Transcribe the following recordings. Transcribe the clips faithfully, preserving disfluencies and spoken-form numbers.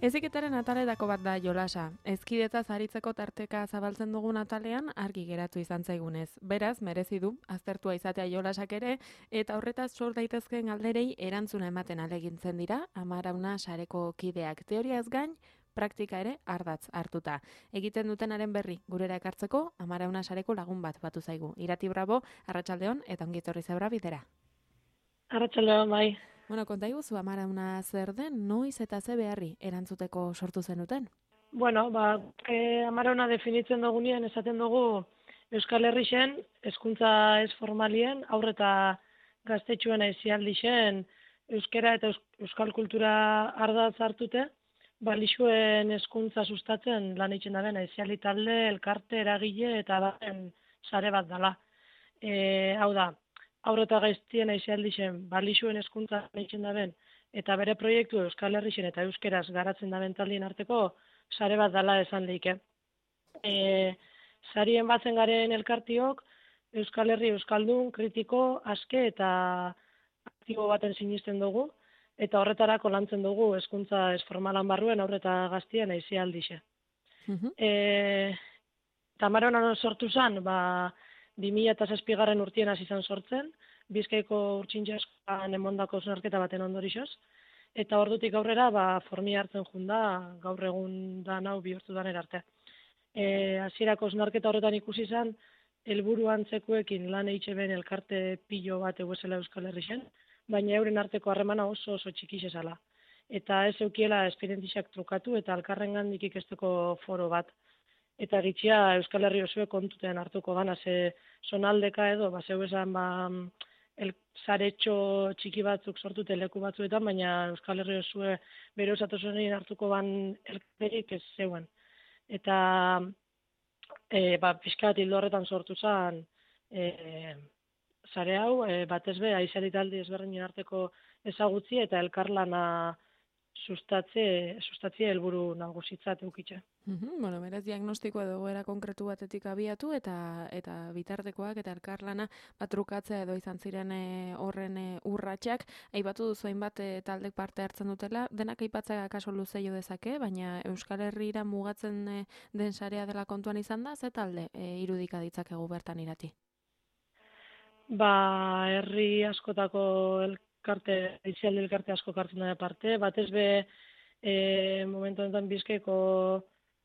Heziketaren ataletako bat da jolasa. Hezkidetza aritzeko tarteka zabaltzen dugun atalean argi geratu izan zaigunez. Beraz, merezi du aztertua izatea jolasak ere eta horretaz sor daitezkeen galderei erantzuna ematen alegintzen dira Amarauna sareko kideak. Teoriaz gain, praktika ere ardatz hartuta. Egiten dutenaren berri gurera ekartzeko Amarauna sareko lagun bat batu zaigu. Irati Bravo, arratsaldeon eta ongi etorri zeura bidera. Arratsaldeon, bai. Bueno, konta iguzu Amarauna zer den, noiz eta ze beharri erantzuteko sortu zenuten? Bueno, ba, e, Amarauna definitzen dugunean esaten dugu Euskal Herrixen, hezkuntza ez formalien, aurre eta gaztetxuen aizialdixen, euskera eta euskal kultura ardatz hartute, balixuen hezkuntza sustatzen lan egiten daben aizialdi talde, elkarte, eragile eta baren sare bat dela. E, hau da, aurre eta gaiztien aizialdixen, balixuen hezkuntza egiten daben, eta bere proiektu Euskal Herrixen eta euskeraz garatzen daben taldien arteko sare bat dela esan leike. E, sarien batzen garen elkartiok, Euskal Herri Euskaldun, kritiko, aske eta aktibo baten sinisten dugu, eta horretarako lantzen dugu hezkuntza ez formalan barruen aurre eta gaztien aizialdixe. Mhm. E, Amarauna sortu zen, ba, bi mila zazpigarren urtien hasi izan sortzen, Bizkaiko urtsintxaskan emondako zonarketa baten ondorixoz, eta ordutik aurrera ba, formi hartzen junda gaur egun da nau bihurtu danera arte. E, hasierako zonarketa horretan ikusi izan, helburu antzekuekin lan eitxeben elkarte pilo bat eguesela Euskal Herrixen, baina euren arteko harremana oso oso txikixe zala. Eta ez eukiela esperientixak trukatu eta alkarrengandik ikesteko foro bat. Eta gitxia Euskal Herri osue kontuten hartuko gana, ze zonaldeka edo, ba, zeu esan, ba, el saretxo txiki batzuk sortute leku batzuetan, baina Euskal Herri osue bere osatosunien hartuko ban elkarterik ez zeuen. Eta e, ba, pixkat hildo horretan sortu zen e, sare hau, e, batez be, aizialitaldi ezberdinen arteko ezagutzi eta elkarlana sustatze, sustatzie helburu nagusitzat eukitxe. Mhm, bueno, beraz diagnostiko edo egoera konkretu batetik abiatu eta eta bitartekoak eta elkarlana batrukatzea edo izan ziren e, horren e, urratsak. Aipatu duzu hainbat e, taldek parte hartzen dutela, denak aipatzea kaso luze jo dezake, baina Euskal Herrira mugatzen e, den sarea dela kontuan izan da, ze talde e, irudika ditzakegu bertan Irati? Ba, herri askotako elkarte, aizialdi elkarte asko hartzen da parte, batez be e, momentu honetan Bizkaiko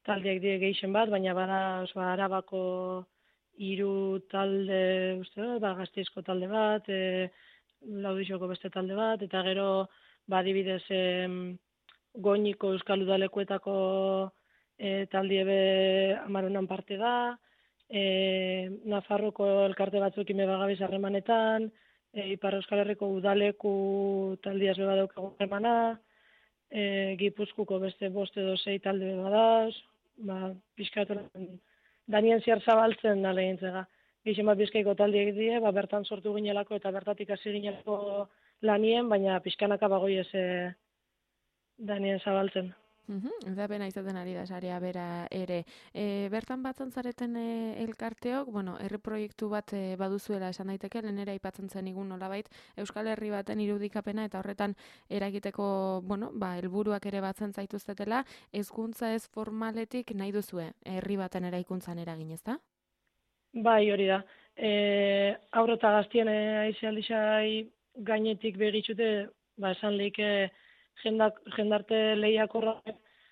taldeak die gehixen bat, baina bada oso Arabako hiru talde, uste dut, ba, Gasteizko talde bat, e, Laudixoko beste talde bat, eta gero, ba, adibidez, e, Goñiko Euskal Udalekuetako e, taldie be Amarunan parte da, e, Nafarroko elkarte batzuekin be bagabiz harremanetan, e, Ipar Euskal Herriko Udaleku taldiaz be badaukagu harremana, e, Gipuzkuko beste bost edo sei talde be badaz, ba, pixkatoran danien ziar zabaltzen da lehintzega. Gixen bat Bizkaiko taldiek die, ba, bertan sortu ginelako eta bertatik hasi ginelako lanien, baina pixkanaka bagoi ez e, danien zabaltzen. Mhm, eta bena izaten ari da sarea bera ere. E, bertan batzen zareten e, elkarteok, bueno, herri proiektu bat e, baduzuela esan daiteke, lehenera aipatzen zen igun nolabait Euskal Herri baten irudikapena eta horretan eragiteko, bueno, ba, helburuak ere batzen zaituztetela, hezkuntza ez formaletik nahi duzue herri baten eraikuntzan eragin, ezta? Bai, hori da. E, aurre eta gaztien aizialdixai gainetik begitxute, ba, esan leike jendak, jendarte lehiakorra,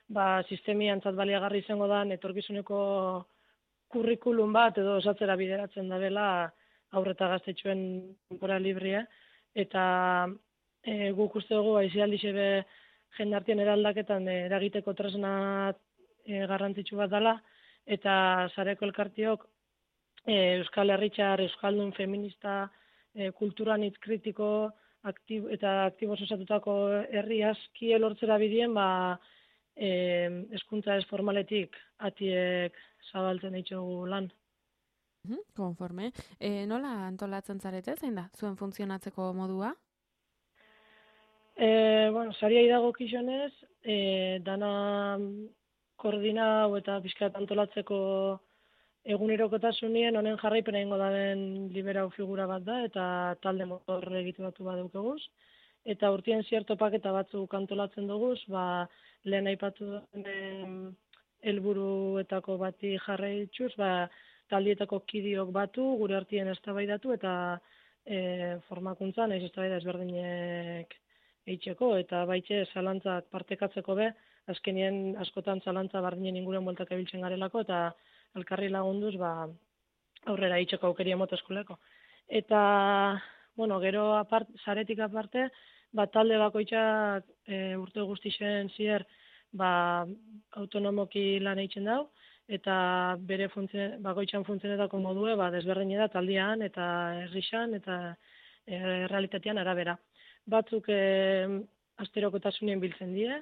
ba, sistemi antzat baliagarri izango da, etorkizuneko kurrikulum bat edo osatzera bideratzen da dela aurre eta gaztetxuen denbora librea, eta e, guk uste dugu aizialdixe be jendartien eraldaketan e, eragiteko tresna e, garrantzitsu bat dela, eta sareko elkartiok e, Euskal Herritxar, Euskaldun, feminista, e, kulturanitz kritiko, aktibo, eta aktiboz osatutako herri aski lortzera bidien, ba, e, hezkuntza ez formaletik atiek zabaltzen ditugu lan. Mhm, konforme. E, nola antolatzen zarete, zein da, zuen funtzionatzeko modua? E, bueno, sariai dago kixonez, e, dana koordinau eta pixkat antolatzeko egunerokotasunien honen jarraipena egingo daben liberau figura bat da, eta talde motor egituratu bat daukaguz. eta urtien zier topaketa batzuk antolatzen dugu, ba, lehen aipatu den helburuetako bati jarraituz, ba, taldietako kidiok batu, gure artien eztabaidatu eta e, formakuntza, nahiz eztabaida ezberdinek eitzeko, eta baitxe zalantzak partekatzeko be, azkenien askotan zalantza bardinen inguren bueltak ebiltzen garelako, eta elkarri lagunduz, ba, aurrera eitzeko aukeria moto eskoleko. Eta, bueno, gero apart, zaretik aparte, ba, talde bakoitzak e, urte guztixen zier, ba, autonomoki lan eitzen dau, eta bere funtzio, bakoitzan funtzionetako modue, ba, desberdin da taldean, eta herrixan, eta e, realitatean arabera. Batzuk e, asterokotasunien biltzen die,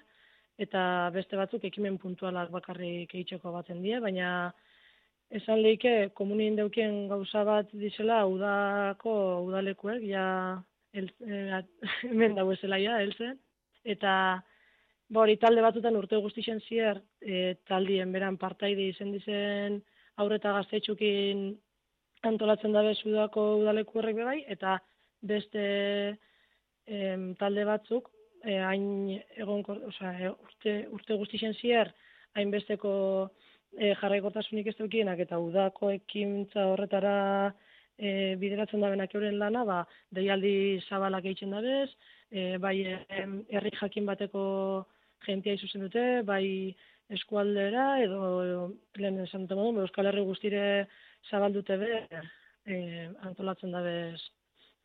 eta beste batzuk ekimen puntualak bakarrik eitzeko batzen die, baina esan lehike komunien deukien gauza bat dizela udako udalekuek, ja el, e, hemen dauezela ja, helzen, eta ba hori talde batutan urte guztixen zier, e, taldien beran partaide izen dizen aurreta gaztetxukin antolatzen dabe udako udaleku horrek bebai, eta beste em, talde batzuk, e, hain egon, osea, urte, urte guztixen zier, hainbesteko e, jarraikortasunik ez dukienak, eta udako ekintza horretara e, bideratzen dabenak euren lana, ba, deialdi zabalak eitzen dabez, e, bai herri jakin bateko jentia izuzen dute, bai eskualdera, edo, edo lehen esan dute modu, Euskal Herri guztire zabaldute be, e, antolatzen dabez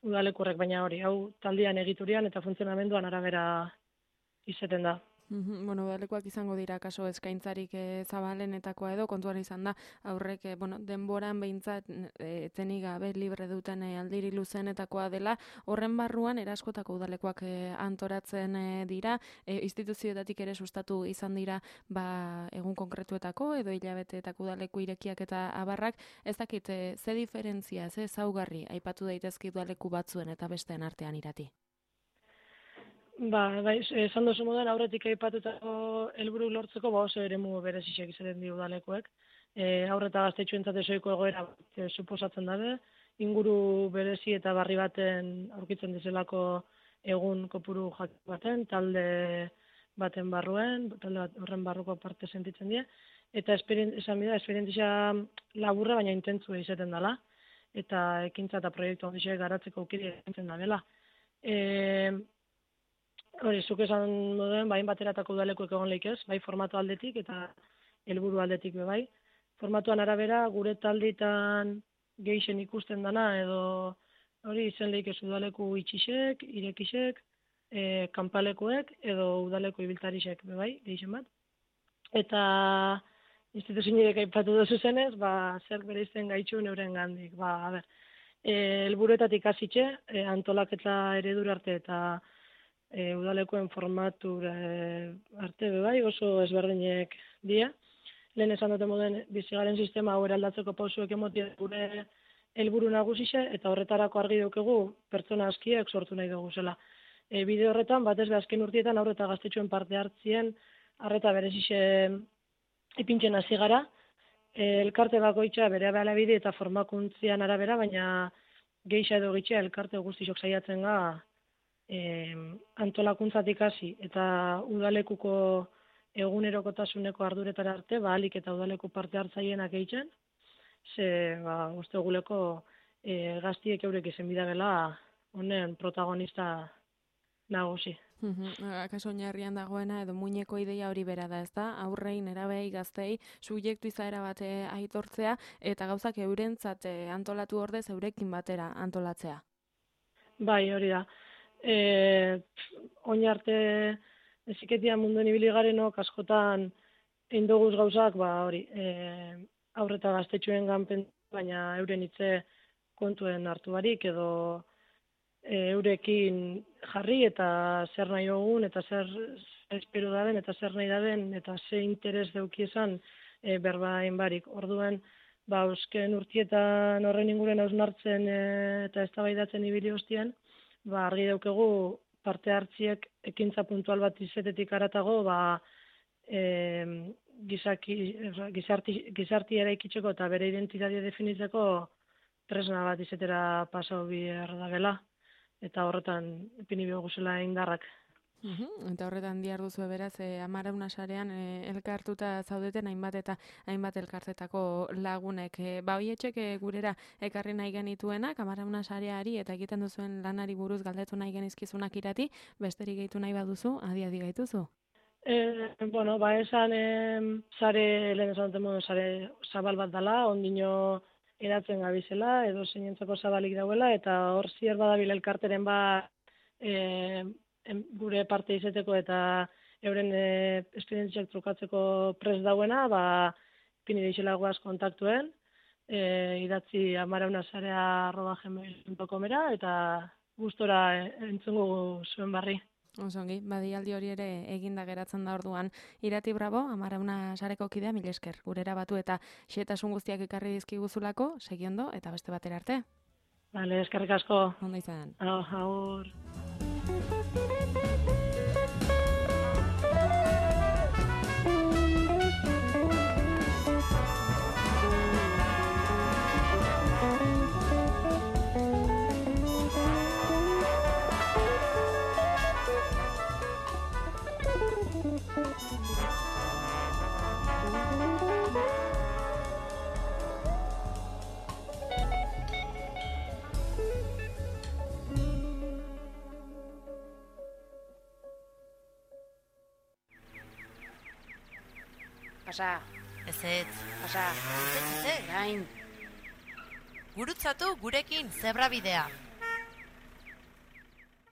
udalekurrek, baina hori, hau taldean egiturian eta funtzionamenduan arabera izaten da. Mm-hmm. Bueno, udalekoak izango dira kaso eskaintzarik e, zabalenetakoa edo kontuan izan da aurrek e, bueno, denboran behintzat e, etenik gabe libre duten e, aldiri luzenetakoa dela, horren barruan eraskotako udalekoak e, antoratzen e, dira, e, instituzioetatik ere sustatu izan dira ba, egun konkretuetako edo hilabeteetako udaleku irekiak eta abarrak, ez dakit e, ze diferentzia, ze zaugarri aipatu daitezke udaleku batzuen eta besteen artean irati? Ba, bai, esan duzu moduan aurretik aipatutako helburu lortzeko ba oso eremu berezixek izaten di udalekoek. E, aurreta gaztetxuentzat ezoiko egoera e, suposatzen dabe, inguru berezi eta barri baten aurkitzen dizelako egun kopuru jakin baten, talde baten barruen, talde bat horren barruko parte sentitzen die, eta esan bida, esperientzia laburra baina intentzua izaten dela, eta ekintza eta proiektu handixek garatzeko aukeri egintzen dabela. E, Hori, zuk esan moduen, bain bateratako udalekuek egon lehik ez, bai formatu aldetik eta helburu aldetik be bai. Formatuan arabera, gure talditan geixen ikusten dana, edo hori izen lehik ez udaleku itxisek, irekisek, e, kanpalekuek, edo udaleku ibiltarisek be bai, geixen bat. Eta instituzioek aipatu dozu zenez, ba, zer bere izten gaitxu neuren gandik. Ba, a ber, e, helburuetatik hasitxe, e, antolaketa eredur arte eta E, udalekoen formatu e, arte bebai, oso ezberdinek dia. Lehen esan dute moden bizigaren sistema hau eraldatzeko pausuek emotia gure helburu nagusixe, eta horretarako argi dukegu pertsona askiek sortu nahi dugu zela. E, bide horretan, batez be azken urtietan aurreta gaztetxuen parte hartzien, arreta berezixe ipintzen hasi gara, e, elkarte bakoitza bere bide eta formakuntzian arabera, baina geixa edo gitxea elkarte guztixok saiatzen ga, E, antolakuntzatik hasi eta udalekuko egunerokotasuneko arduretara arte, ba, alik eta udaleku parte hartzaienak eitzen, ze ba, uste guleko e, gaztiek eurek izen bidagela honen protagonista nagusi. Akaso oinarrian dagoena edo muineko ideia hori bera da, ez da? Aurrei, nerabei, gaztei, subjektu izaera bate aitortzea eta gauzak eurentzat antolatu ordez eurekin batera antolatzea. Bai, hori da. E, oin arte eziketia munduen ibili garenok askotan eindoguz gauzak, ba hori, e, aurreta gaztetxuen ganpen, baina euren hitze kontuen hartu barik, edo e, eurekin jarri eta zer nahi dugun, eta zer espero daben, eta zer nahi daben, eta ze interes deukiesan e, berbain barik. Orduan, ba, eusken urtietan horren inguren hausnartzen e, eta eztabaidatzen ibili hostien, ba, argi daukegu parte hartziek ekintza puntual bat izetetik aratago, ba, e, gizaki, gizarti, gizarti eraikitzeko eta bere identitatea definitzeko tresna bat izetera pasau behar da bela. eta horretan ipini bioguzela indarrak. Uhum, eta horretan diar duzu beraz, e, Amarauna sarean e, elkartuta zaudeten hainbat eta hainbat elkartetako lagunek. E, ba, hoietxek e, gurera ekarri nahi genituenak, Amarauna sareari eta egiten duzuen lanari buruz galdetu nahi genizkizunak irati, besterik gehitu nahi baduzu, adi-adi gaituzu. E, bueno, ba, esan e, sare, lehen esan duten modu, sare zabal bat dela, ondino eratzen gabizela, edo zeinentzako zabalik dauela, eta hor zier badabil elkarteren ba, e, em, gure parte izeteko eta euren e, esperientziak trukatzeko prest dauena, ba, pini deixela guaz kontaktuen, e, idatzi amaraunasarea arroba gmail puntu comera, eta gustora e, entzungu zuen barri. Osongi, badialdi hori ere eginda geratzen da orduan. Irati Bravo, Amarauna sareko kidea, mil esker. Gurera batu eta xetasun guztiak ekarri dizkiguzulako, segiondo eta beste batera arte. Vale, eskerrik asko. Ondo izan. Aur. Pasa. Ezetz. Pasa. Ezetz, ezetz. Gain. Gurutzatu gurekin zebra bidea.